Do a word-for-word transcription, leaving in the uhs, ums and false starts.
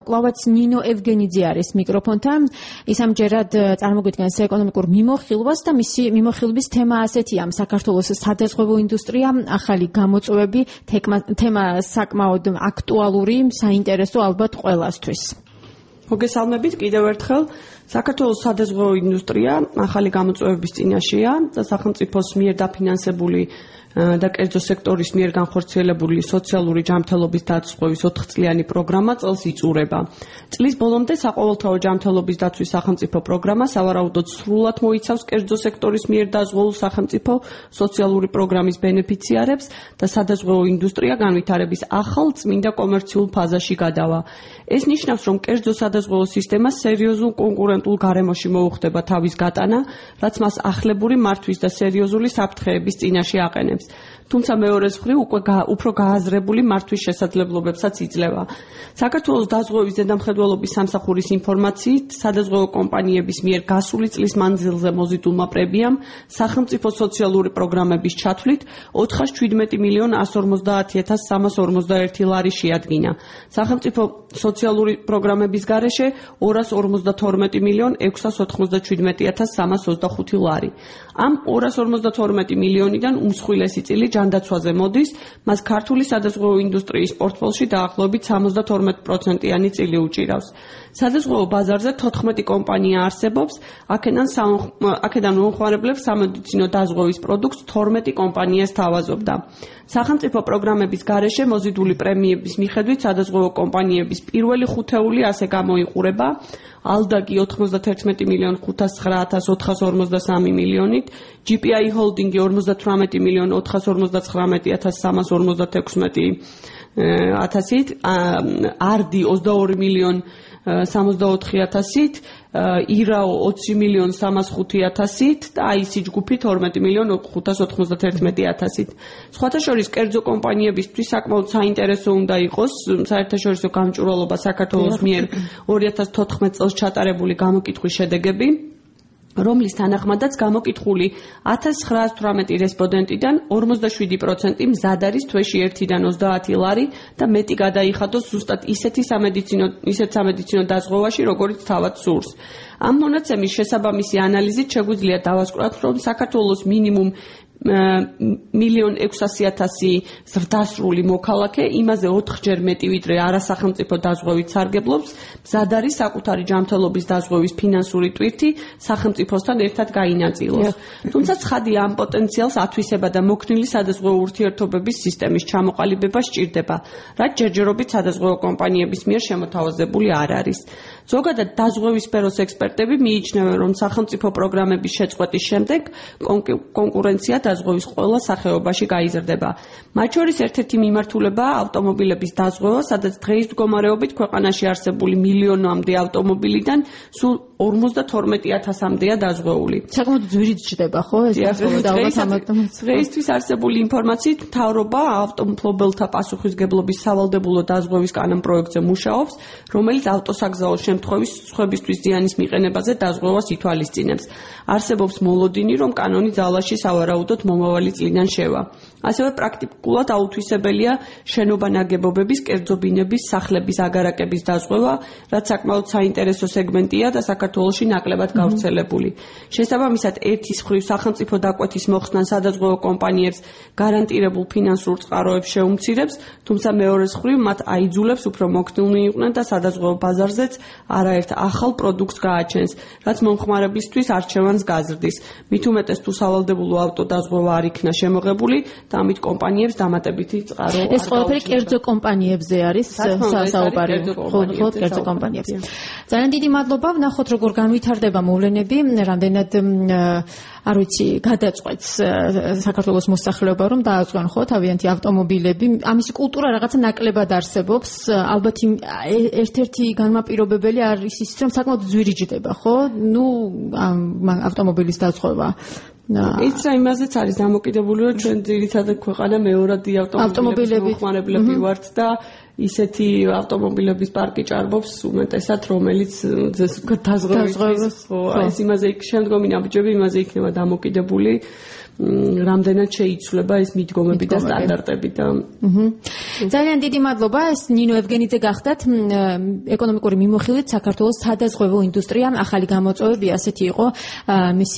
კლავაც ნინო ევგენიძე არის მიკროფონთან. ის ამჯერად წარმოგვიდგენს ეკონომიკურ მიმოხილვას და მისი მიმოხილვის თემა ასეთია: საქართველოს სადაზღვევო ინდუსტრია, ახალი გამოწვევები, თემა საკმაოდ აქტუალური, საინტერესო ალბათ ყველასთვის. მოგესალმებით კიდევ ერთხელ. საქართველოს სადაზღვევო ინდუსტრია ახალი გამოწვევების წინაშეა და სახელმწიფოს მიერ დაფინანსებული და კერძო სექტორის მიერ განხორციელებული სოციალური ჯანმრთელობის დაცვის ოთხწლიანი პროგრამა წელს იწურება. წლის ბოლომდე საყოველთაო ჯანმრთელობის დაცვის სახელმწიფო პროგრამა სავარაუდოდ სრულად მოიცავს კერძო სექტორის მიერ დაზღვეულ სახელმწიფო სოციალური პროგრამის ბენეფიციარებს და სადაზღვევო ინდუსტრია განვითარების ახალ წმინდა კომერციულ ფაზაში გადავა. ეს ნიშნავს, რომ კერძო სადაზღვევო სისტემა სერიოზულ კონკურენტულ გარემოში მოუხდება თავის გატანა, რაც მას ახლებური მართვის და სერიოზული საფრთხეების წინაშე აყენებს. თუმცა მეორე მხრივ უკვე უფრო გააზრებული მართვის შესაძლებლობებსაც იძლევა. საქართველოს დაზღვევის ზედამხედველობის სამსახურის ინფორმაციით, სადაზღვევო კომპანიების მიერ გასული წლის მანძილზე მოზიდულმა პრემიამ სახელმწიფო სოციალური პროგრამების ჩათვლით ოთხას შვიდმეტი მილიონ ასს ორმოცდაათ ათას სამას ორმოცდაერთი ლარი შეადგინა. სახელმწიფო სოციალური პროგრამების გარეშე ორას ორმოცდათორმეტი მილიონ ექვსას ოთხმოცდაშვიდმეტი ათას სამას ოცდახუთი ლარი. ამ ორას ორმოცდათორმეტი მილიონიდან უმსხვილესი წილი ჯანდაცვაზე მოდის, მას ქართული სადაზღვევო ინდუსტრიის პორტფელში დაახლოებით სამოცდათორმეტი პროცენტიანი წილი უჭირავს. სადაზღვევო ბაზარზე თოთხმეტი კომპანია არსებობს, აქედან აქედან მომხმარებლებს სამედიცინო დაზღვევის პროდუქტს თორმეტი კომპანია სთავაზობდა. სახელმწიფო პროგრამების გარეშე მოზიდული პრემიების მიხედვით სადაზღვევო კომპანიების პირველი ხუთეული ასე გამოიყურება: ალდაგი ოთხმოცდათერთმეტი მილიონ ხუთას ცხრა ათას ოთხას ორმოცდასამი მილიონით, ჯი პი აი ჰოლდინგი ორმოცდათვრამეტი მილიონ ოთხას ორმოცდაცხრამეტი ათას სამას ორმოცდათექვსმეტი ათასით, არდი ოცდაორი მილიონ სამოცდაოთხი ათასით, ირაო ოცი მილიონ სამას ხუთი ათასით და აისი ჯგუფი თორმეტი მილიონ ხუთას ოთხმოცდათერთმეტი ათასით. სხვათა შორის კერძო კომპანიებისთვის საკმაოდ საინტერესო უნდა იყოს საერთაშორისო გამჭვირვალობა საქართველოს მიერ ორი ათას თოთხმეტ წელს ჩატარებული გამოკითხვის შედეგები, რომლის თანახმადაც გამოკითხული ათას ცხრაას თვრამეტი რესპონდენტიდან ორმოცდაშვიდი პროცენტი მზად არის თვეში ერთიდან ოცდაათი ლარი და მეტი გადაიხადოს ზუსტად ისეთი სამედიცინო ისეთ სამედიცინო დაზღვევაში, როგორც თავად სურს. ამ მონაცემის შესაბამისი ანალიზით შეგვიძლია დავასკვნათ, რომ საქართველოს მინიმუმ მილიონ ექვსასი ათასი ზრდასრული მოქალაქე, იმაზე ოთხჯერ მეტი ვიდრე არასახელმწიფო დაზღვევით სარგებლობს, მზად არის საკუთარი ჯანმრთელობის დაზღვევის ფინანსური ტვირთი სახელმწიფოსთან ერთად გაინაწილოს. თუმცა ცხადია, ამ პოტენციალს ათვისება და მოქნილი სადაზღვევო ურთიერთობების სისტემის ჩამოყალიბება სჭირდება, რაც ჯერჯერობით სადაზღვევო კომპანიების მიერ შემოთავაზებული არ არის. ზოგადად დაზღვევის სფეროს ექსპერტები მიიჩნევენ, რომ სახელმწიფო პროგრამების შეწყვეტის შემდეგ კონკურენცია დაზღვევის ყველა სახეობაში გაიზრდება. მათ შორის ერთ-ერთი მიმართულებაა ავტომობილების დაზღვევა, სადაც დღეის მდგომარეობით ქვეყანაში არსებული მილიონამდე ავტომობილიდან სულ ორმოცდათორმეტი ათასამდეა დაზღვეული. საკმაოდ ძვირით ჯდება, ხო, ეს დაზღვევა? დღეისთვის არსებული ინფორმაციით, მთავრობა ავტომფლობელთა პასუხისგებლობის სავალდებულო დაზღვევის კანონპროექტზე მუშაობს, რომელიც ავტოსაგზაო შემთხვევის სხვებისთვის ზიანის მიყენებაზე დაზღვევას ითვალისწინებს. არსებობს მოლოდინი, რომ კანონი ძალაში სავარაუდოდ მომავალი წლიდან შევა. ასევე პრაქტიკულად აუთვისებელია შენობა ნაგებობების, კერძო ბინების, სახლების აგარაკების დაზღვევა, რაც საკმაოდ საინტერესო სეგმენტია და საქართველოში ნაკლებად გავრცელებული. შესაბამისად, ერთის მხრივ სახელმწიფო დაკვეთის მოხსნა სადაზღვევო კომპანიებს გარანტირებულ ფინანსურ წყაროებს შეუმცირებს, თუმცა მეორეს მხრივ მათ აიძულებს უფრო მოქნილნი იყვნენ და სადაზღვევო ბაზარზეც არაერთ ახალ პროდუქტს გააჩენს, რაც მომხმარებლისთვის არჩევანს გაზრდის. მით უმეტეს თუ სავალდებულო ავტოდაზღვევა არ იქნა შემოღებული და ამით კომპანიებს დამატებითი წყარო არ ეს ყველაფერი კერძო კომპანიებზე არის საუბარი, ხო, კერძო კომპანიებზე. ძალიან დიდი მადლობა. ვნახოთ როგორ განვითარდება მოვლენები, რამდენად არ ვიცი, გადაწყვეტს საქართველოს მოსახლეობა, რომ დააწყონ ხო თავიანთი ავტომობილები. ამისი კულტურა რაღაცა ნაკლებად არსებობს. ალბათ ერთ-ერთი განმაპირობებელი არის ის, რომ საკმაოდ ძვირი ჯდება, ხო? ნუ ავტომობილის დაზღვევა. ის რა იმაზეც არის დამოკიდებული, რომ ჩვენ ძირითადად ქვეყანა მეორადი ავტომობილების მოხმარებლები ვართ და ისეთი ავტომობილების პარკი ჭარბობს უმეტესად, რომელიც დაზღვევის ხო, ეს იმაზე შემდგომი ნაბიჯები იმაზე იქნება დამოკიდებული, რამდენად შეიცვლება ეს მიდგომები და სტანდარტები და ძალიან დიდი მადლობა. ეს ნინო ევგენიძე გახდათ, ეკონომიკური მიმოხილვით საქართველოს სადაზღვევო ინდუსტრია ახალი გამოწვევები, ასეთი იყო მისი